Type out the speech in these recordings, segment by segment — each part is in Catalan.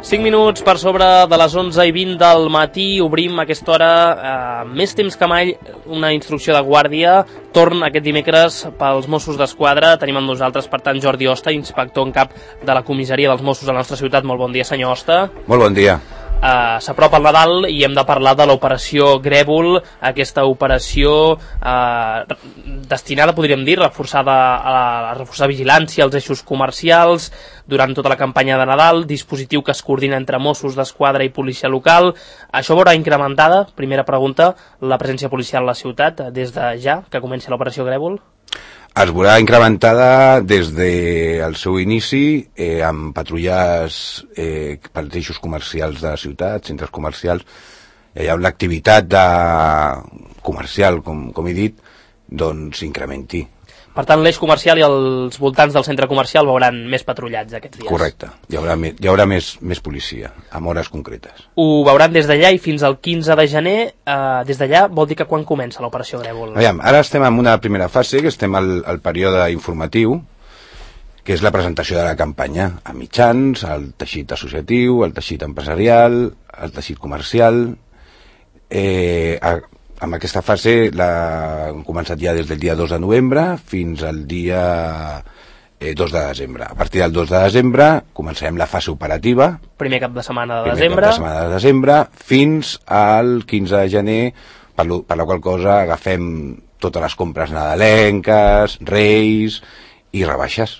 5 minuts per sobre de les 11:20 del matí, obrim a aquesta hora, més temps que mai, una instrucció de guàrdia. Torn aquest dimecres pels Mossos d'Esquadra. Tenim amb nosaltres, per tant, Jordi Hosta, inspector en cap de la comissaria dels Mossos de la nostra ciutat. Molt bon dia, senyor Hosta. Molt bon dia. S'apropa el Nadal i hem de parlar de l'operació Grèvol, aquesta operació destinada, podríem dir, a reforçar vigilància als eixos comercials durant tota la campanya de Nadal, dispositiu que es coordina entre Mossos d'Esquadra i policia local. Això veurà incrementada, primera pregunta, la presència policial a la ciutat des de ja que comença l'operació Grèvol? Es veurà incrementada des del seu inici amb patrulles pels eixos comercials de la ciutat, centres comercials. Hi ha una activitat comercial, com he dit, doncs incrementi. Per tant, l'eix comercial i els voltants del centre comercial veuran més patrullats aquests dies. Correcte. Hi haurà més policia, amb hores concretes. Ho veuran des d'allà i fins al 15 de gener. Des d'allà vol dir que quan comença l'operació Grèvol? Aviam, ara estem en una primera fase, que estem al període informatiu, que és la presentació de la campanya a mitjans, al teixit associatiu, al teixit empresarial, al teixit comercial. En aquesta fase hem començat ja des del dia 2 de novembre fins al dia 2 de desembre. A partir del 2 de desembre començarem la fase operativa. Primer cap de setmana de desembre. Fins al 15 de gener, per la qual cosa agafem totes les compres nadalenques, reis i rebaixes.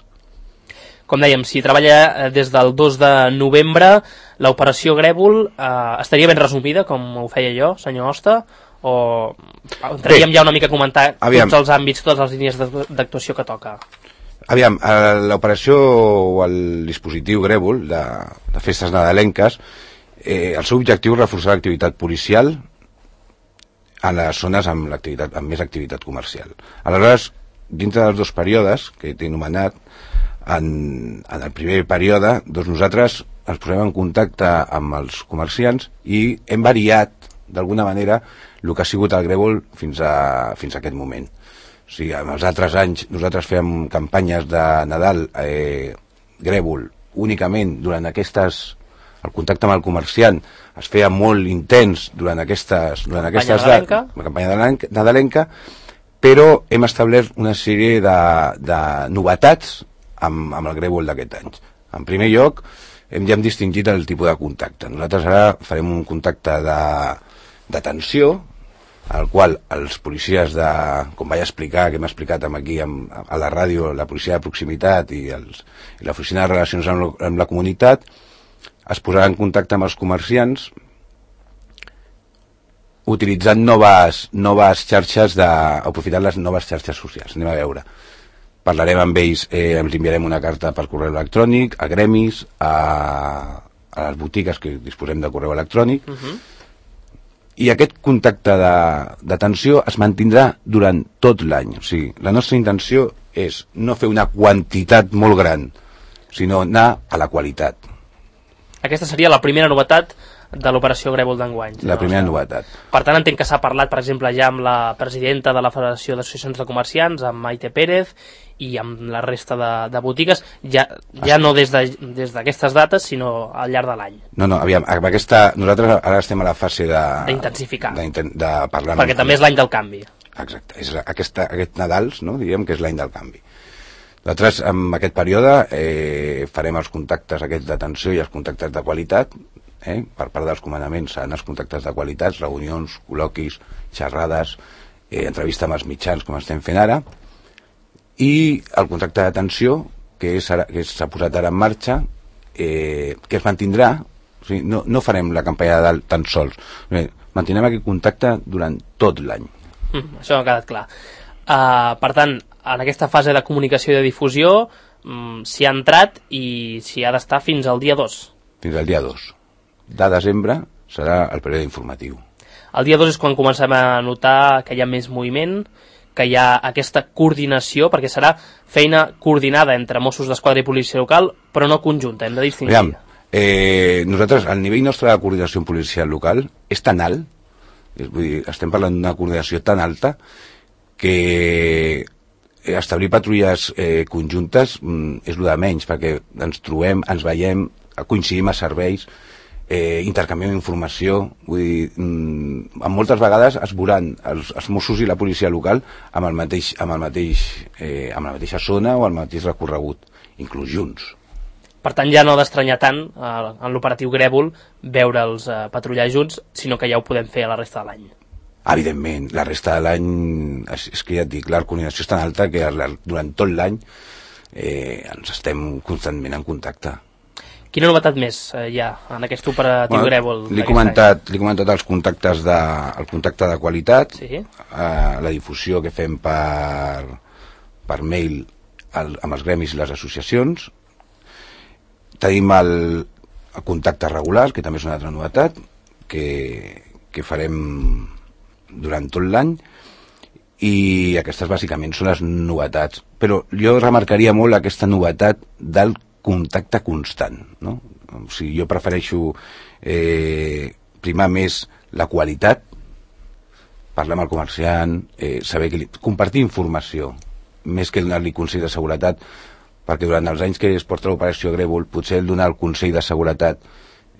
Com dèiem, si treballa des del 2 de novembre, l'operació Grèvol estaria ben resumida, com ho feia jo, senyor Hosta, o entraríem ja una mica a comentar tots els àmbits, totes les línies d'actuació que toca? Aviam, l'operació o el dispositiu Grèvol de festes nadalenques, el seu objectiu és reforçar l'activitat policial a les zones amb més activitat comercial. Aleshores, dintre dels dos períodes que t'he anomenat, en el primer període, nosaltres ens posem en contacte amb els comerciants i hem variat, d'alguna manera, el que ha sigut el Grèvol fins a aquest moment. O sigui, en els altres anys nosaltres fèiem campanyes de Nadal Grèvol únicament durant el contacte amb el comerciant es feia molt intens durant aquestes dates, la campanya nadalenca, però hem establert una sèrie de novetats amb el Grèvol d'aquest any. En primer lloc, ja hem distingit el tipus de contacte. Nosaltres ara farem un contacte d'atenció, al qual els policies com vaig explicar, que hem explicat aquí a la ràdio, la policia de proximitat i l'oficina de relacions amb la comunitat, es posarà en contacte amb els comerciants utilitzant noves xarxes, aprofitant les noves xarxes socials. Anem a veure. Parlarem amb ells, ens enviarem una carta per correu electrònic, a gremis, a les botigues que disposem de correu electrònic, i aquest contacte d'atenció es mantindrà durant tot l'any. O sigui, la nostra intenció és no fer una quantitat molt gran, sinó anar a la qualitat. Aquesta seria la primera novetat de l'operació Grèvol d'enguany. La primera novetat. Per tant, entenc que s'ha parlat, per exemple, ja amb la presidenta de la Federació d'Associacions de Comerciants, amb Maite Pérez, i amb la resta de botigues, ja no des d'aquestes dates, sinó al llarg de l'any. No, aviam, nosaltres ara estem a la fase d'intensificar, de parlar. Perquè també és l'any del canvi. Exacte, és aquest Nadals, no? Diríem que és l'any del canvi. Nosaltres, en aquest període, farem els contactes aquests d'atenció i els contactes de qualitat. Per part dels comandaments seran els contactes de qualitat, reunions, col·loquis, xerrades, entrevista amb els mitjans, com estem fent ara, i el contracte d'atenció, que s'ha posat ara en marxa, que es mantindrà. O sigui, no farem la campanya de dalt tan sols, mantindrem aquest contacte durant tot l'any. Això ha quedat clar. Per tant, en aquesta fase de comunicació i de difusió s'hi ha entrat i s'hi ha d'estar fins al dia 2. Fins al dia 2 de desembre serà el període informatiu. El dia 2 és quan comencem a notar que hi ha més moviment, que hi ha aquesta coordinació, perquè serà feina coordinada entre Mossos d'Esquadra i policia local, però no conjunta, hem de distingir. Aviam, nosaltres, el nivell nostre de coordinació policial local és tan alt, vull dir, estem parlant d'una coordinació tan alta, que establir patrulles conjuntes és el de menys, perquè ens trobem, ens veiem, coincidim a serveis, intercanviem informació, vull dir, moltes vegades es veuran els Mossos i la policia local amb la mateixa zona o el mateix recorregut, inclús junts. Per tant, ja no ha d'estranyar tant en l'operatiu Grèvol veure'ls patrullar junts, sinó que ja ho podem fer a la resta de l'any. Evidentment, la resta de l'any, és que ja et dic, la coordinació és tan alta que durant tot l'any ens estem constantment en contacte. Quina novetat més hi ha en aquest operatiu Grèvol? Li he comentat el contacte de qualitat, sí? La difusió que fem per mail amb els gremis i les associacions. Tenim el contacte regular, que també és una altra novetat, que farem durant tot l'any, i aquestes bàsicament són les novetats. Però jo remarcaria molt aquesta novetat del contacte constant, no? O sigui, jo prefereixo primar més la qualitat, parlar amb el comerciant, saber compartir informació, més que donar-li consell de seguretat, perquè durant els anys que es porta l'operació Grèvol, potser el donar el consell de seguretat,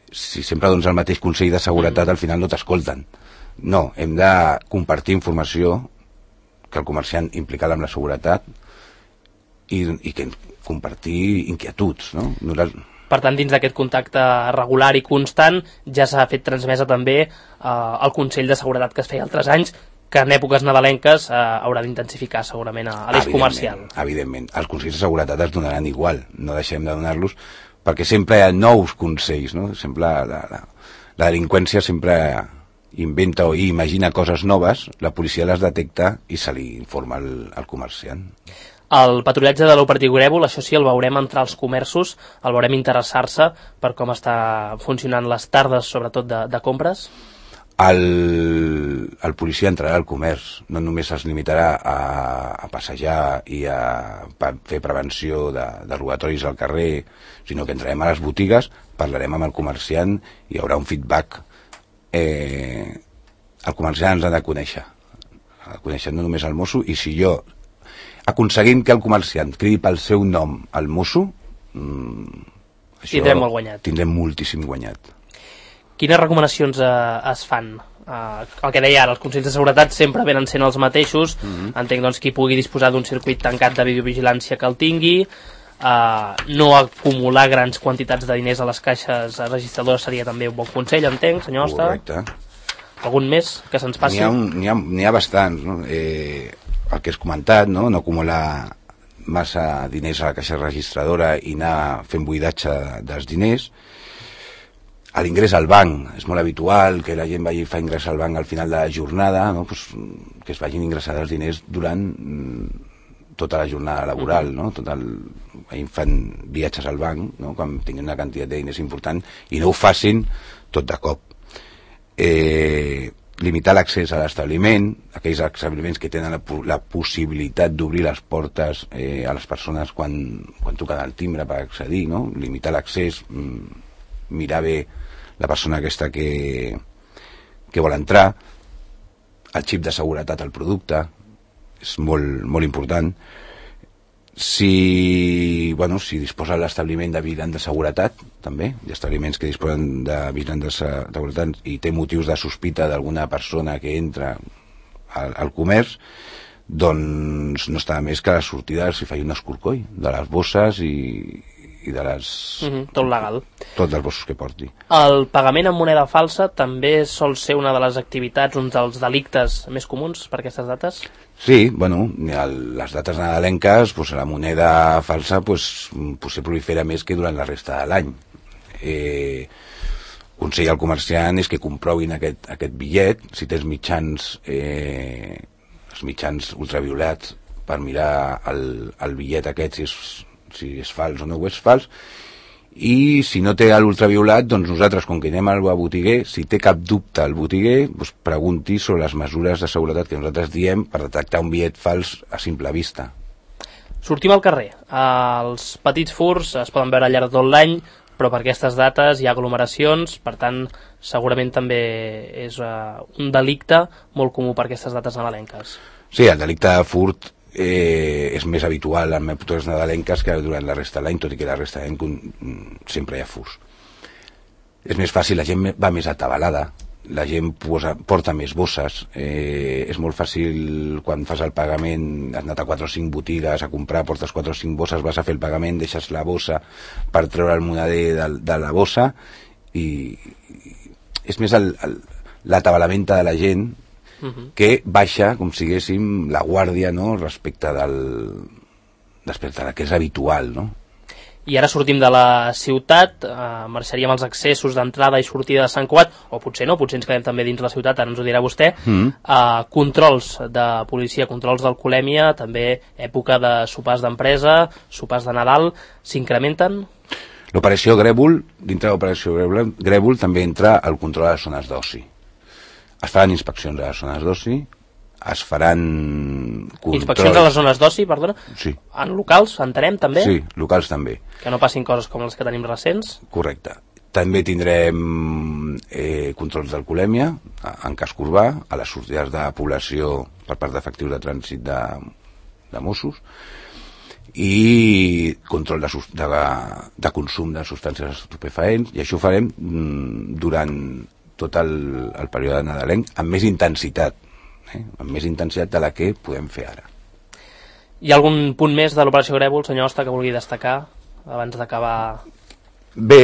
si sempre dones el mateix consell de seguretat, al final no t'escolten. No, hem de compartir informació, que el comerciant implicat amb la seguretat, i que compartir inquietuds, no? Per tant, dins d'aquest contacte regular i constant ja s'ha fet transmesa també el Consell de Seguretat que es feia altres anys, que en èpoques nadalenques haurà d'intensificar segurament a l'eix comercial. Evidentment, els consells de seguretat es donaran igual, no deixem de donar-los, perquè sempre hi ha nous consells, no? Sempre la delinqüència sempre inventa o imagina coses noves, la policia les detecta i se li informa al comerciant. El patrullatge de l'operatiu Grèvol, això sí, el veurem entrar als comerços, el veurem interessar-se per com està funcionant les tardes, sobretot de compres? El policia entrarà al comerç, no només es limitarà a passejar i a fer prevenció de robatoris al carrer, sinó que entrarem a les botigues, parlarem amb el comerciant i hi haurà un feedback. El comerciant ens ha de conèixer no només el mosso, i si jo aconseguim que el comerciant cridi pel seu nom al mosso, tindrem molt guanyat. Tindrem moltíssim guanyat. Quines recomanacions es fan? El que deia ara, els consells de seguretat sempre venen sent els mateixos. Entenc doncs qui pugui disposar d'un circuit tancat de videovigilància que el tingui, no acumular grans quantitats de diners a les caixes registradores seria també un bon consell, entenc, senyor Osta. Correcte. Algun més que se'ns passi? N'hi ha bastants, no? El que has comentat, no acumular massa diners a la caixa registradora i anar fent buidatge dels diners. A l'ingrés al banc, és molt habitual que la gent vagi a fer ingrés al banc al final de la jornada, no? Pues, que es vagin ingressar els diners durant tota la jornada laboral, no? Fan viatges al banc, no? Quan tinguin una quantitat de diners important, i no ho facin tot de cop. Limitar l'accés a l'establiment, aquells establiments que tenen la possibilitat d'obrir les portes a les persones quan toquen el timbre per accedir, no? Limitar l'accés, mirar bé la persona aquesta que vol entrar, el xip de seguretat al producte, és molt, molt important. Si disposa l'establiment de vigilant de seguretat, també, hi ha establiments que disposen de vigilant de seguretat i té motius de sospita d'alguna persona que entra al comerç, doncs no està més que a la sortida s'hi faci un escorcoll de les bosses i de les... tot legal. Tot dels bossos que porti. El pagament amb moneda falsa també sol ser una de les activitats, un dels delictes més comuns per aquestes dates? Sí, les dates nadalenques, la moneda falsa potser prolifera més que durant la resta de l'any. Consell al comerciant és que comprovin aquest bitllet, si tens els mitjans ultraviolats per mirar el bitllet aquest, si és fals o no ho és fals, i si no té l'ultraviolat, doncs nosaltres, com que anem al botiguer, si té cap dubte el botiguer, pregunti sobre les mesures de seguretat que nosaltres diem per detectar un bitllet fals a simple vista. Sortim al carrer. Els petits furts es poden veure al llarg de tot l'any, però per aquestes dates hi ha aglomeracions, per tant, segurament també és un delicte molt comú per aquestes dates nadalenques. Sí, el delicte de furt és més habitual en èpoques nadalenques que durant la resta de l'any, tot i que la resta de l'any sempre hi ha furs. És més fàcil, la gent va més atabalada, la gent porta més bosses, és molt fàcil quan fas el pagament, has anat a 4 o 5 botigues a comprar, portes 4 o 5 bosses, vas a fer el pagament, deixes la bossa per treure el moneder de la bossa, i és més l'atabalament de la gent que baixa, com si diguéssim, la guàrdia, no?, respecte del que és habitual, no? I ara sortim de la ciutat, marxaríem els accessos d'entrada i sortida de Sant Cugat, o potser no, potser ens quedem també dins la ciutat, ara ens ho dirà vostè. Controls de policia, controls d'alcoholèmia, també època de sopars d'empresa, sopars de Nadal, s'incrementen? L'operació Grèvol, dintre de l'operació Grèvol també entra el control de les zones d'oci. Es faran inspeccions a les zones d'oci, es faran controls... Inspeccions a les zones d'oci, perdona? Sí. En locals, entenem, també? Sí, locals també. Que no passin coses com les que tenim recents? Correcte. També tindrem controls d'alcoholèmia en casc urbà, a les sortides de població per part d'efectius de trànsit de Mossos, i control de consum de substàncies estupefaents, i això ho farem durant tot el període nadalenc amb més intensitat, amb més intensitat de la que podem fer ara. Hi ha algun punt més de l'operació Grèvol, senyor Hoste, que vulgui destacar abans d'acabar? Bé,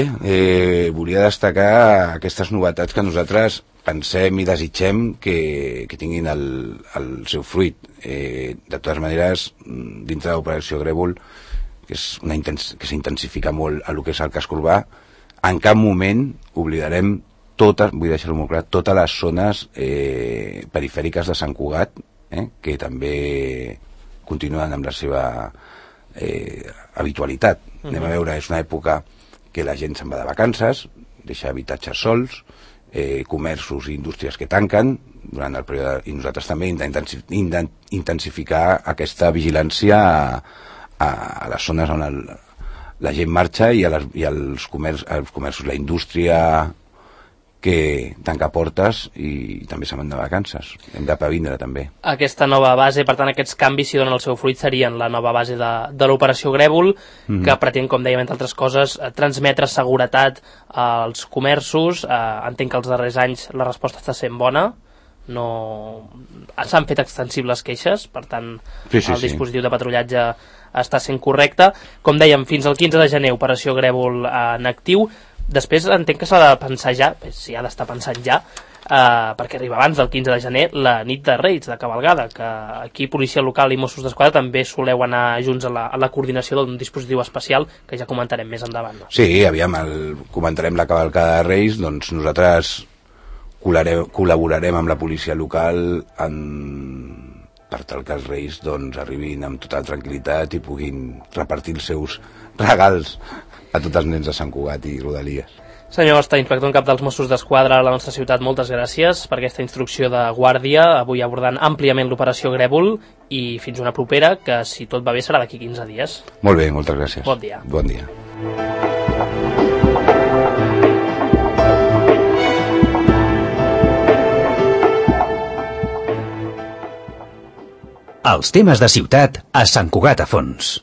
volia destacar aquestes novetats que nosaltres pensem i desitgem que tinguin el seu fruit. De totes maneres, dintre de l'operació Grèvol, que s'intensifica molt a lo que és el casc urbà, en cap moment oblidarem totes, vull deixar-ho molt clar, totes les zones perifèriques de Sant Cugat, que també continuen amb la seva habitualitat. Anem a veure, és una època que la gent se'n va de vacances, deixa habitatges sols, comerços i indústries que tanquen durant el període, i nosaltres també intensificar aquesta vigilància a les zones on la gent marxa i als comerços, la indústria que tanca portes i també se'n van de vacances. Hem de previndre també. Aquesta nova base, per tant, aquests canvis, si donen el seu fruit, serien la nova base de l'operació Grèvol, que pretén, com dèiem, entre altres coses, transmetre seguretat als comerços. Entenc que els darrers anys la resposta està sent bona, no s'han fet extensibles queixes, per tant, el dispositiu de patrullatge està sent correcte. Com dèiem, fins al 15 de gener, operació Grèvol en actiu. Després entenc que s'ha de pensar ja, si ha d'estar pensant ja, perquè arriba abans del 15 de gener la nit de Reis, de cavalgada, que aquí Policia Local i Mossos d'Esquadra també soleu anar junts a la coordinació d'un dispositiu especial que ja comentarem més endavant. No? Sí, aviam, comentarem la cavalcada de Reis, doncs nosaltres col·laborarem amb la Policia Local per tal que els Reis arribin amb total tranquil·litat i puguin repartir els seus regals a tots els nens de Sant Cugat i Rodalies. Senyor Hoste, inspector en cap dels Mossos d'Esquadra a la nostra ciutat, moltes gràcies per aquesta instrucció de guàrdia, avui abordant àmpliament l'operació Grèvol, i fins una propera, que si tot va bé serà d'aquí 15 dies. Molt bé, moltes gràcies. Bon dia. Bon dia. Els temes de ciutat a Sant Cugat a fons.